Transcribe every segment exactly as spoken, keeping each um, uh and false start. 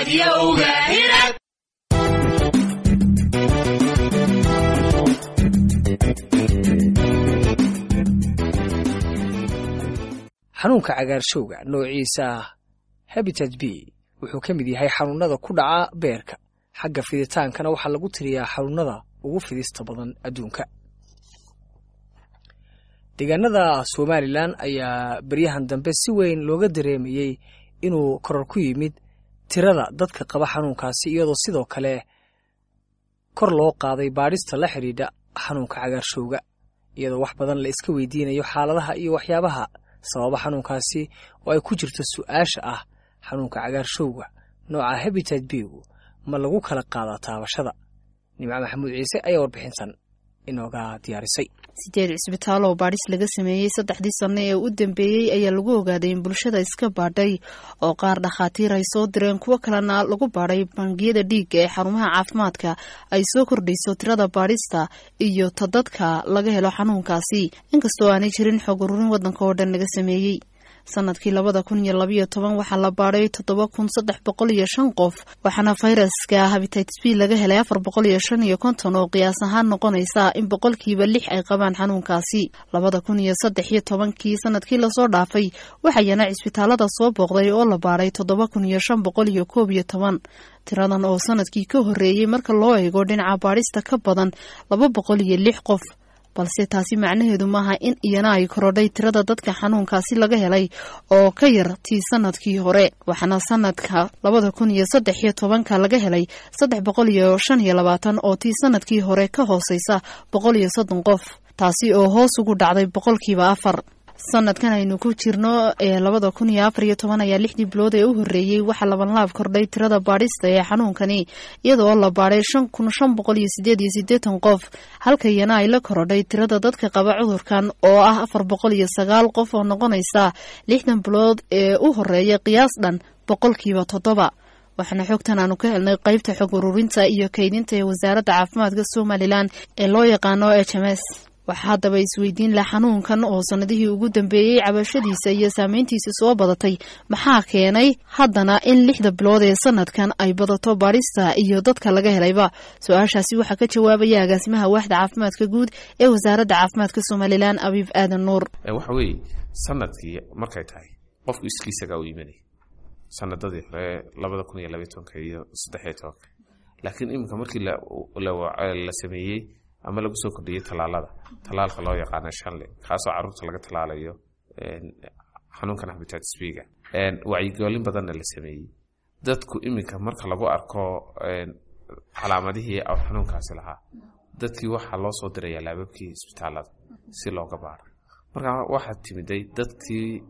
Raadiyowga Hirad. Xanuunka cagaarshowga noociisa hepatitis B wuxuu ka mid yahay xanuunada ku dhaca beerka. Xagga fiditaankana waxaa lagu tiriyaa xanuunada ugu fidista badan adduunka. Deegaanada Somalilan ayaa beryahan dambe si weyn looga dareemayey inuu koror ku yimid tirada dadka qaba xanuunkaasi, iyadoo sidoo kale kor loo qaaday baadhista la xidhiidha xanuunka cagaarshowga, iyadoo wax badan la iska weydiinayo xaaladaha iyo waxyaabaha sababa xanuunkaasi, oo ay ku jirto su-aasha ah: xanuunka cagaarshowga nooca hepatitis B-gu ma lagu kala qaadaa taabashada? Nimco Maxamuud Ciise ayaa warbixintan inooga diyaarisay. Sideed cisbitaal oo baadhis laga sameeyey saddexdii sanno ee u dambeeyey ayaa lagu ogaaday in bulshada iska baadhay, oo qaar dhakhaatiir ay soo direen, kuwo kalena lagu baadhay bangiyada dhiigga ee xarumaha caafimaadka, ay soo kordhayso tirada baadhista iyo ta dadka laga helo xanuunkaasi, inkastoo aanay jirin xog ururin waddanka oo dhan laga sameeyey. Sanadkii labada kun iyo labayo toban waxaa la baadhay toddoba kun saddex boqol iyo shan qof, waxaana fayraska hepatitis B laga helay afar boqol iyo shan iyo konton, oo qiyaas ahaan noqonaysa in boqolkiiba lix ay qabaan xanuunkaasi. Labada kun iyo saddex iyo tobankii, sanadkii lasoo dhaafay, waxayana cisbitaalada soo booqday oo la baadhay toddoba kun iyo shan boqol iyo koob iyo toban. Tiradan oo sanadkii ka horreeyey marka loo eego dhinaca baadhista ka badan laba boqol iyo lix qof, balse taasi macnaheedu maaha in iyana ay korodhay tirada dadka xanuunkaasi laga helay oo ka yar tii sanadkii hore, waxaana sanadka labada kun iyo saddex iyo tobanka laga helay saddex boqol iyo shan iyo labaatan, oo tii sanadkii hore ka hooseysa boqol iyo soddon qof, taasi oo hoos ugu dhacday boqolkiiba afar. Sanadkan aynu ku jirno ee labada kun iyo afar iyo toban ayaa lixdii bilood ee u horreeyey waxaa labanlaab kordhay tirada baadhista ee xanuunkani, iyadoo la baadhay shan kun shan boqol iyo sideed iyo siddeetan qof, halka iyana ay la korodhay tirada dadka qaba cudurkan oo ah afar boqol iyo sagaal qof, oo noqonaysa lixdan bilood ee u horreeya qiyaas dhan boqolkiiba toddoba. Waxaana xogtan aanu ka helnay qeybta xog ururinta iyo kaydinta ee Wasaaradda Caafimaadka Somalilan ee loo yaqaano H M S. Waxaa haddaba isweydiin leh, xanuunkan oo sanadihii ugu dambeeyey cabashadiisa iyo saameyntiisa soo badatay, maxaa keenay haddana in lixda bilood ee sanadkan ay badato baadhista iyo dadka laga helayba? Su-aashaasi waxaa ka jawaabaya agaasimaha waaxda caafimaadka guud ee Wasaaradda Caafimaadka Somalilan, Abiib Aadan Nuur. Waxa weeye, sanadkii markay tahay qofku iskiisagaa u imanay sanadadii hore, labada kun iyo labaiy tobanka iyo saddexiyo tobanka, laakiin iminka markii la sameeyey ama lagu soo kordhiyey tallaalada, tallaalka loo yaqaano shanle, kaasoo caruurta laga tallaalayo xanuunkan hepatitis B-ga, wacyigelin badanna la sameeyey, dadku iminka marka lagu arko calaamadihii xanuunkaasi lahaa, dadkii waxaa loo soo dirayaa laababkii isbitaalada si looga baaro. Marka waxaa timiday dadkii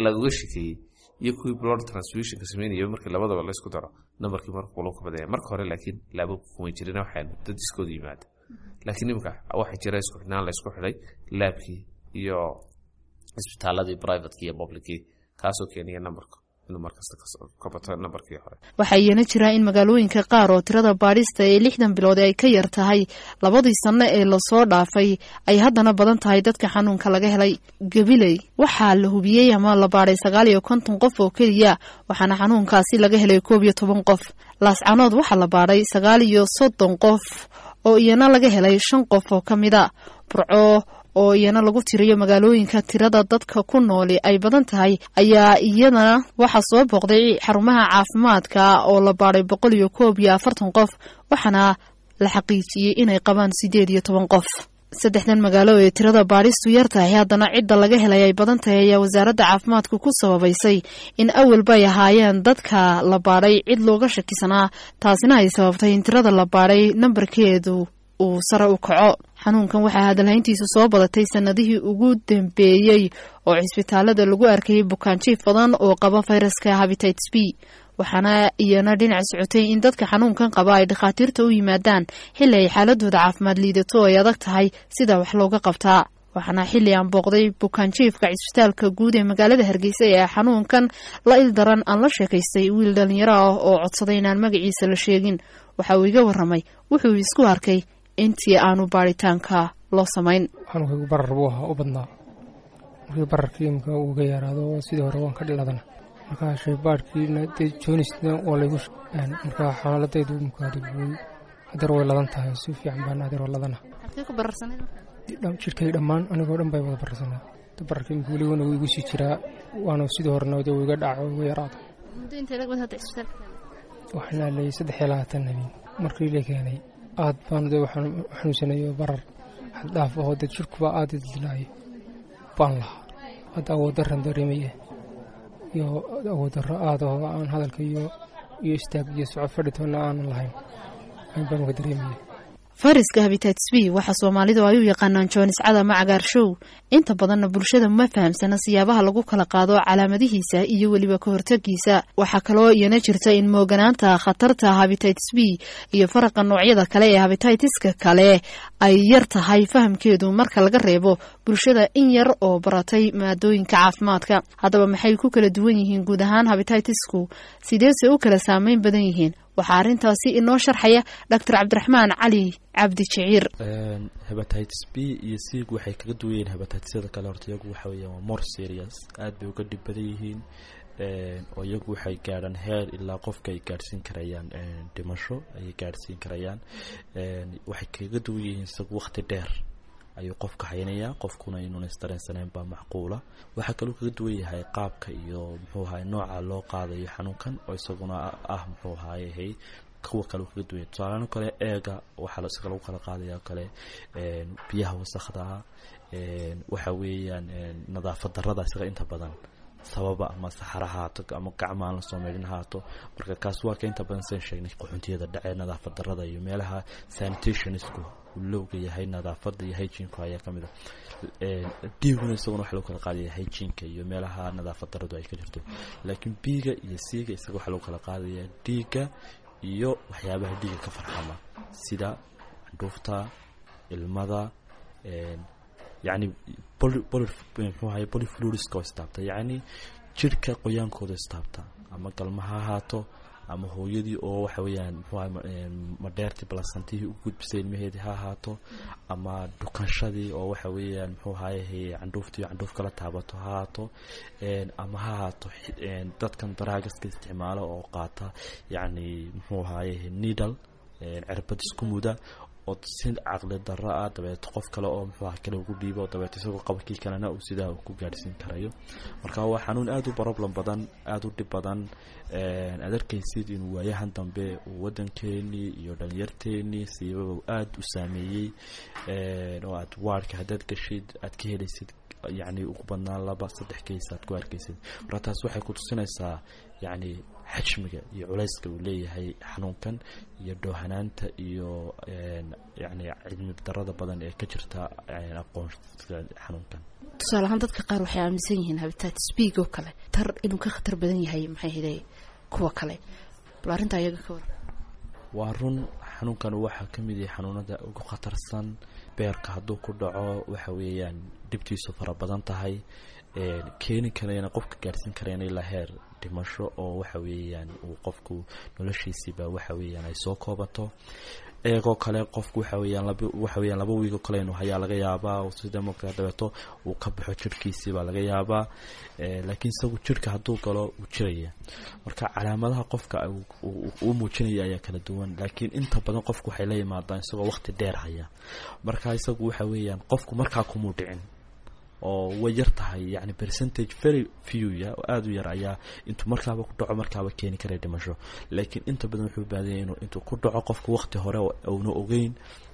lagaga shekeeyey iyo kuwii blood transfusionka sameynaya, markii labadaba laysku daro, nambarkii marka ka badanya. Marka hore laakiin laababku kumay jirin, waxaan dad iskooda yimaada, laakiin iminka waxaa jira isku xidhnaan la isku xidhay laabkii iyo isbitaaladii privateki iyo publickii, kaasoo keenaya nambarka inuu markasta ka bato nambarkii hore. Waxaa iyana jira in magaalooyinka qaar oo tirada baadhista ee lixdan bilood ay ka yar tahay labadii sanno ee lasoo dhaafay, ay haddana badan tahay dadka xanuunka laga helay. Gabiley waxaa la hubiyey ama la baadhay sagaal iyo konton qof oo keliya, waxaana xanuunkaasi laga helay koob iyo toban qof. Laascanood waxaa la baadhay sagaal iyo soddon qof, oo iyana laga helay shan qof oo ka mid a. Burco oo iyana lagu tiriyo magaalooyinka tirada dadka ku nooli ay badan tahay ayaa iyadana waxaa soo booqday xarumaha caafimaadka oo la baadhay boqol iyo koob iyo afartan qof, waxaana la xaqiijiyey inay qabaan sideed iyo toban qof. Saddexdan magaalo ee tirada baadhistu yar tahay haddana cidda laga helay ay badan tahay ayaa Wasaaradda Caafimaadku ku sababaysay in awalba ay ahaayeen dadka la baadhay cid looga shakisanaa, taasina ay sababtay in tirada la baadhay nambarkeedu uu sare u kaco. Xanuunkan waxaa hadalhayntiisu soo badatay sanadihii ugu dambeeyey, oo cisbitaalada lagu arkayay bukaanjiif badan oo qaba fayraska hepatitis B, waxaana iyana dhinac socotay in dadka xanuunkan qaba ay dhakhaatiirta u yimaadaan xilli ay xaaladooda caafimaad liidato oo ay adag tahay sida wax looga qabtaa. Waxaana xilli aan booqday bukaanjiifka cisbitaalka guud ee magaalada Hargeysa ee xanuunkan la ildaran aan la sheekaystay wiil dhalinyaro ah oo codsaday inaan magaciisa la sheegin. Waxa uu iga waramay wuxuu isku arkay intii aanu baaritaanka loo samayn. Xanuunkaygu barar buu ahaa u badnaa. Markii bararkii imika uu ga yaraado, sidii hore waan ka dhiladana. Markaa shaybaadhkiina dee joonisna waa laygu, markaa xaaladaydu mukaadibay hadeer way ladan tahay, si fiican baan hadeer waa ladana. Jidhkay dhammaan anigoo dhan bay wada bararsanaa. Bararka imika weligona wuu igu sii jiraa, waana sidii horena dee wuu iga dhaco, igu yaraado. Waxaan aalayay saddex iyo labaatan habeen markii la keenay. Aad baan dee waxaan xanuunsanayo barar xad dhaaf ahoo dee jidhkuba aad idilaayo baan lahaa. Hadda awood darran dareemaya iyo awood darro aad oo aan hadalka iyo iyo istaag iyo socod fadhitoona aanan lahayn baan ka dareemaya. Fayraska hepatitis B waxaa Soomaalidu ay u yaqaanaan joonis cad ama cagaarshow. Inta badanna bulshada ma fahamsana siyaabaha lagu kala qaado, calaamadihiisa iyo weliba ka hortagiisa. Waxaa kaloo iyana jirta in mooganaanta khatarta hepatitis B iyo faraqa noocyada kale ee hepatitiska kale ay yar tahay fahamkeedu, marka laga reebo bulshada in yar oo baratay maadooyinka caafimaadka. Haddaba maxay ku kala duwan yihiin guud ahaan hepatitisku, sideese u kala saameyn badan yihiin? Waxaa arrintaasi inoo sharxaya Doctor Cabdiraxmaan Cali Cabdi Jiciir. Hepatitis B iyo C waxay kaga duwan yihiin hepatitisyada kale, horta iyagu waxa weeyaan waa more serious, aad bay uga dhib badan yihiin, oo iyagu waxay gaadhaan heer ilaa qofka ay gaadhsiin karayaan dhimasho ayay gaadhsiin karayaan. Waxay kaga duwan yihiin isagu waqti dheer ayuu qofka haynayaa, qofkuna inuuna isdareensaneyn baa macquula. Waxaa kaloo kaga duwan yahay qaabka iyo muxuu ahaye nooca loo qaadayo xanuunkan, oo isaguna ah muxuu ahaye kuwa kale kaga duwan yahay. Tusaalahaan kale, eega waxaa isaga lagu kala qaadaya kale biyaha wasakda ah, waxa weeyaan nadaafad darrada isaga inta badan sababa, ama saxara haato ama gacma aan lasoo meydhin haato. Marka kaas waa ka inta badan, san sheegnay, qaxoontiyada dhacee, nadaafad darrada iyo meelaha sanitationisku lowga yahay, nadaafada iyo hygienku ayaa kamid ah. Dhiiguna isaguna waxa lagu kala qaadaya hygienka iyo meelaha nadaafad darradu ay ka jirto. Laakiin B-ga iyo C-ga isaga waxaa lagu kala qaadaya dhiigga iyo waxyaabaha dhiigga ka farxama, sida candhuufta, ilmada, yacni muxuu ahay body fluidska oo istaabta, yacni jidhka qoyaankooda istaabta, ama galma ha ahaato ama hooyadii oo waxa weeyaan muxuu ahay madheertii placentihii u gudbisay ilmaheedii ha ahaato, ama dhukanshadii oo waxa weeyaan muxuu ahaye candhuuftii candhuuf kala taabato ha ahaato, ama ha ahaato dadkan drugska isticmaalo oo qaata, yacni muxuu ahaye needle, cirbad isku muda oo si caqli darro ah dabeeto qof kale oo muxuu aha kale ugu dhiibo, dabeeto isagoo qabakii kalena uu sidaa ku gaadhsiin karayo. Marka waa xanuun aada u problem badan, aada u dhib badan. Aad arkaysid inuu waayahan dambe uu waddankeenii iyo dhalinyarteenii siibaba aada u saameeyey, oo aad wardka haddaad gashid aad ka helaysid yacni ugu badnaan laba saddex case aad ku arkaysid. Marka taas waxay ku tusinaysaa yacni xajmiga iyo culayska uu leeyahay xanuunkan iyo dhoohanaanta iyo yacni cilmi darada badan ee ka jirta aqoonka xanuunkan. Tusaale ahaan, dadka qaar waxay aaminsan yihiin hepatitis B oo kale tar inuu ka khatar badan yahay maxay hiday kuwa kale. Bal arrintaa iyaga ka war. Waa run, xanuunkan waxaa ka mid yahay xanuunada ugu khatarsan. Beerka hadduu ku dhaco waxa weeyaan dhibtiisu fara badan tahay, keeni karayna qofka gaadhsiin karayna ilaa heer dhimasho, oo waxa weeyaan uu qofku noloshiisiiba waxa weeyaan ay soo koobato. Eegoo kale qofku waxa weeyaan laba waxa weeyaan laba wiig oo kale inuu hayaa laga yaabaa, sida markaa dabeeto uu ka baxo jirhkiisii baa laga yaabaa. Laakiin isagu jirhka hadduu galo wuu jiraya. Marka calaamadaha qofka uu muujinaya ayaa kala duwan, laakiin inta badan qofku waxay la yimaadaan isagoo waqti dheer haya. Marka isagu waxa weeyaan qofku markaa kumuu dhicin oo way yar tahay, yani percentage very few ya oo aada u yar ayaa intuu markaaba ku dhaco markaaba keeni kara dhimasho. Laakiin inta badan wuxuu baadanyay inuu intuu ku dhaco qofku waqti hore uuna ogeyn,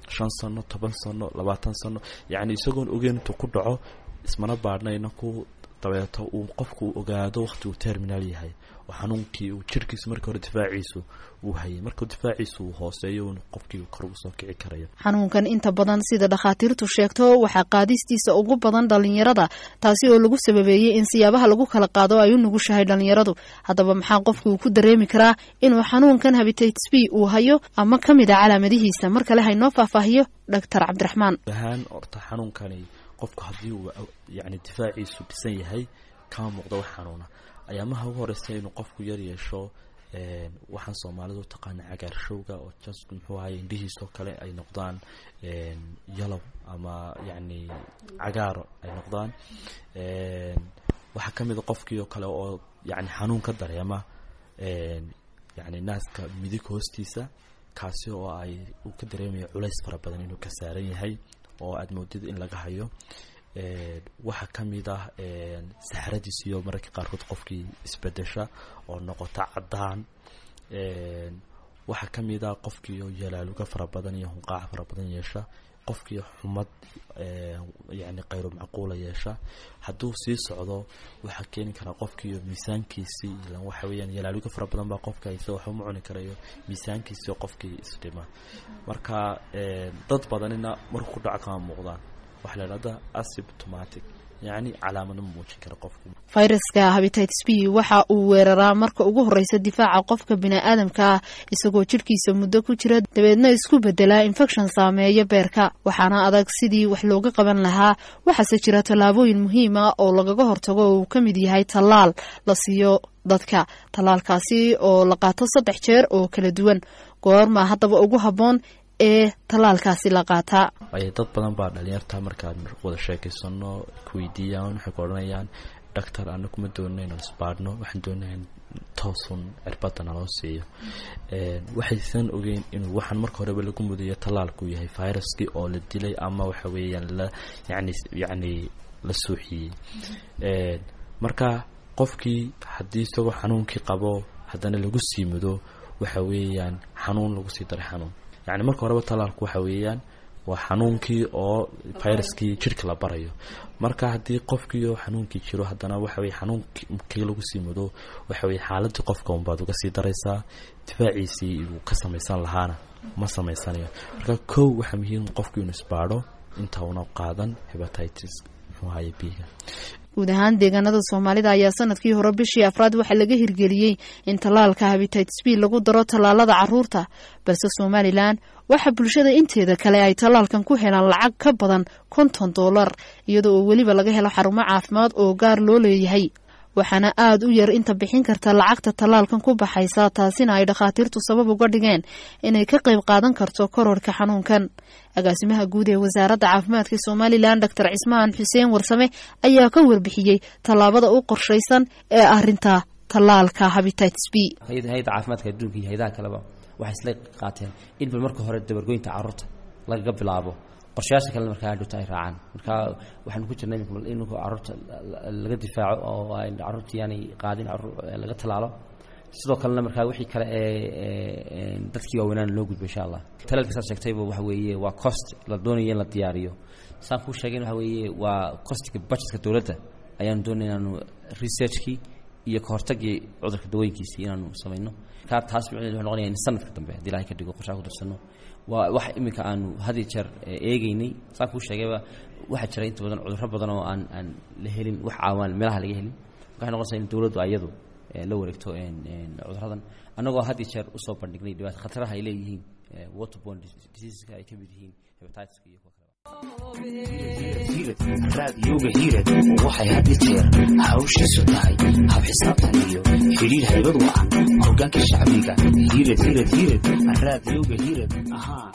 shan sano, toban sano, labaatan sano, yacni isagoon ogeyn intuu ku dhaco, ismana baadhnayna ku dabeeto uu qofku ogaado waqti uu terminal yahay oo xanuunkii uu jirkiisu markii hore difaaciisu uu hayay, markuu difaaciisu uu hooseeyo qofkii kor ugu soo kici karayo. Xanuunkan inta badan, sida dhakhaatiirtu sheegto, waxaa qaadistiisa ugu badan dhalinyarada, taasi oo lagu sababeeyey in siyaabaha lagu kala qaado ay u nugushahay dhalinyaradu. Haddaba maxaa qofku uu ku dareemi karaa inuu xanuunkan hepatitis B uu hayo ama ka mid a calaamadihiisa? Mar kale haynoo faahfaahiyo Doctor Cabdiraxmaan. Ahaan horta xanuunkani qofku haddii uu yacni difaaciisu dhisan yahay kama muuqdo wax xanuuna. Ayaamaha ugu horeysa inuu qofku yar yeesho waxaan Soomaalidu taqaana cagaarshowga, oo just muxuu ahay indhihiisoo kale ay noqdaan yellow ama yacni cagaaro ay noqdaan. Waxaa ka mid a qofkii oo kale oo yani xanuun ka dareema yani naaska midig hoostiisa, kaasi oo ay uu ka dareemayo culays fara badan inuu ka saaran yahay oo aada moodid in laga hayo. Waxaa ka mid ah saxradiis iyo mararka qaarkood qofkii isbedesha oo noqota caddaan. Waxaa ka mid ah qofkii oo yalaaluga fara badan iyo hunqaac fara badan yeesha, qofkii xumad yani kayru macquula yeesha. Hadduu sii socdo waxaa keeni karaa qofkii miisaankiisii, ilan waxa weeyaan yalaaluga fara badan baa qofka haysa, waxba ma cuni karayo, miisaankiisii qofkii isdhima. Marka dad badanina markuu ku dhaco kama muuqdaan, waxaa la idhahdaa asymptomatic, yacni calaamado ma muujin kara qofku. Fayraska hepatitis B waxa uu weeraraa marka ugu horeysa difaaca qofka bini'aadamka ah, isagoo jidhkiisa muddo ku jira, dabeedna isku bedelaa infekshan saameeya beerka. Waxaana adag sidii wax looga qaban lahaa, waxaase jira tallaabooyin muhiim ah oo lagaga hortago oo uu ka mid yahay tallaal la siiyo dadka, tallaalkaasi oo la qaato saddex jeer oo kala duwan. Goorma haddaba ugu habboon ee tallaalkaasi la qaataa? Ay dad badan baa dhalinyarta markaan wada sheekaysano kuweydiiyaan, waxay ku odhanayaan doctor, anagu ma doonina inaan isbaadhno, waxaan doonaya in toosun cirbadda naloo siiyo. Waxaysan ogeyn inuu waxaan marka horeba lagu mudayo tallaalku yahay viruskii oo la dilay ama waxa weeyaan la yani yacni la suuxiyey. Marka qofkii haddii isagoo xanuunkii qabo haddana lagu sii mudo, waxa weeyaan xanuun lagu sii daray xanuun. Yani marka horeba tallaalku waxa weeyaan waa xanuunkii oo viruskii jirka la barayo. Marka haddii qofkii oo xanuunkii jiro haddana waxa weye xanuunkii lagu sii mudo, waxa weye xaaladii qofka unbaad uga sii daraysaa, difaaciisii uu ka samaysan lahaana ma samaysanayo. Marka kow waxaa muhiim qofku inuu isbaadho inta una qaadan hepatitis muxuu ahaye B-ga. Guud ahaan deegaanada Soomaalida ayaa sanadkii hore bishii afraad waxaa laga hirgeliyey in tallaalka hepatitis B lagu daro tallaalada caruurta, balse Somalilan waxaa bulshada inteeda kale ay tallaalkan ku helaan lacag ka badan konton doolar, iyadoo oo weliba laga helo xarumo caafimaad oo gaar loo leeyahay. Waxaana aada u yar inta bixin karta lacagta tallaalkan ku baxaysa, taasina ay dhakhaatiirtu sabab uga dhigeen inay ka qayb qaadan karto kororka xanuunkan. Agaasimaha guud ee Wasaaradda Caafimaadka Somalilan, Doctor Cismaan Xuseen Warsame, ayaa ka warbixiyey tallaabada u qorshaysan ee arinta tallaalka hepatitis B. Hay-adda Caafimaadka Adduunka iyo hay-adaha kaleba waxay isla qaateen in bal marka hore dabargoynta carruurta lagaga bilaabo, qorshayaasha kalena markaa hadhowta ay raacaan. Marka waxaanu ku jirnay in carruurta laga difaaco oo ay carruurta yaanay qaadin, laga tallaalo. Sidoo kalena markaa wixii kale ee dadkii waaweynaan loo gudbo insha Allah. Talaalka saad sheegtayba waxa weeye waa cost la doonayo in la diyaariyo. Saan kuu sheegay waxa weeye waa costiga budgetka dowladda ayaanu doonay inaanu researchkii iyo kahortagii cudurka dawooyinkiisii inaanu samayno. Markaa taas micnaheedu wuxuu noqonaya in sanadka dambe haddii Ilahay ka dhigo qorshaha ku darsano. Waa wax iminka aanu had iyo jeer eegeynay. Saan kuu sheegayba waxaa jira inta badan cudurro badan oo aan aan la helin wax caawaan meelaha laga helin. Marka waxay noqonaysaa in dowladdu ayadu la wareegto cudurradan, annagoo had iyo jeer usoo bandhignay dhibaata khataraha ay leeyihiin waterborne diseaseska ay ka mid yihiin hepatitiska iyo kuwa kale. Raadiyooga Hiirad waxay had iyo jeer hawshiisu tahay hab xisaabtan iyo xidhiir haybad wacan hoggaanka shacbiga. Hiirad, Hiirad, Hiirad, Raadiyooga Hiirad ahaa.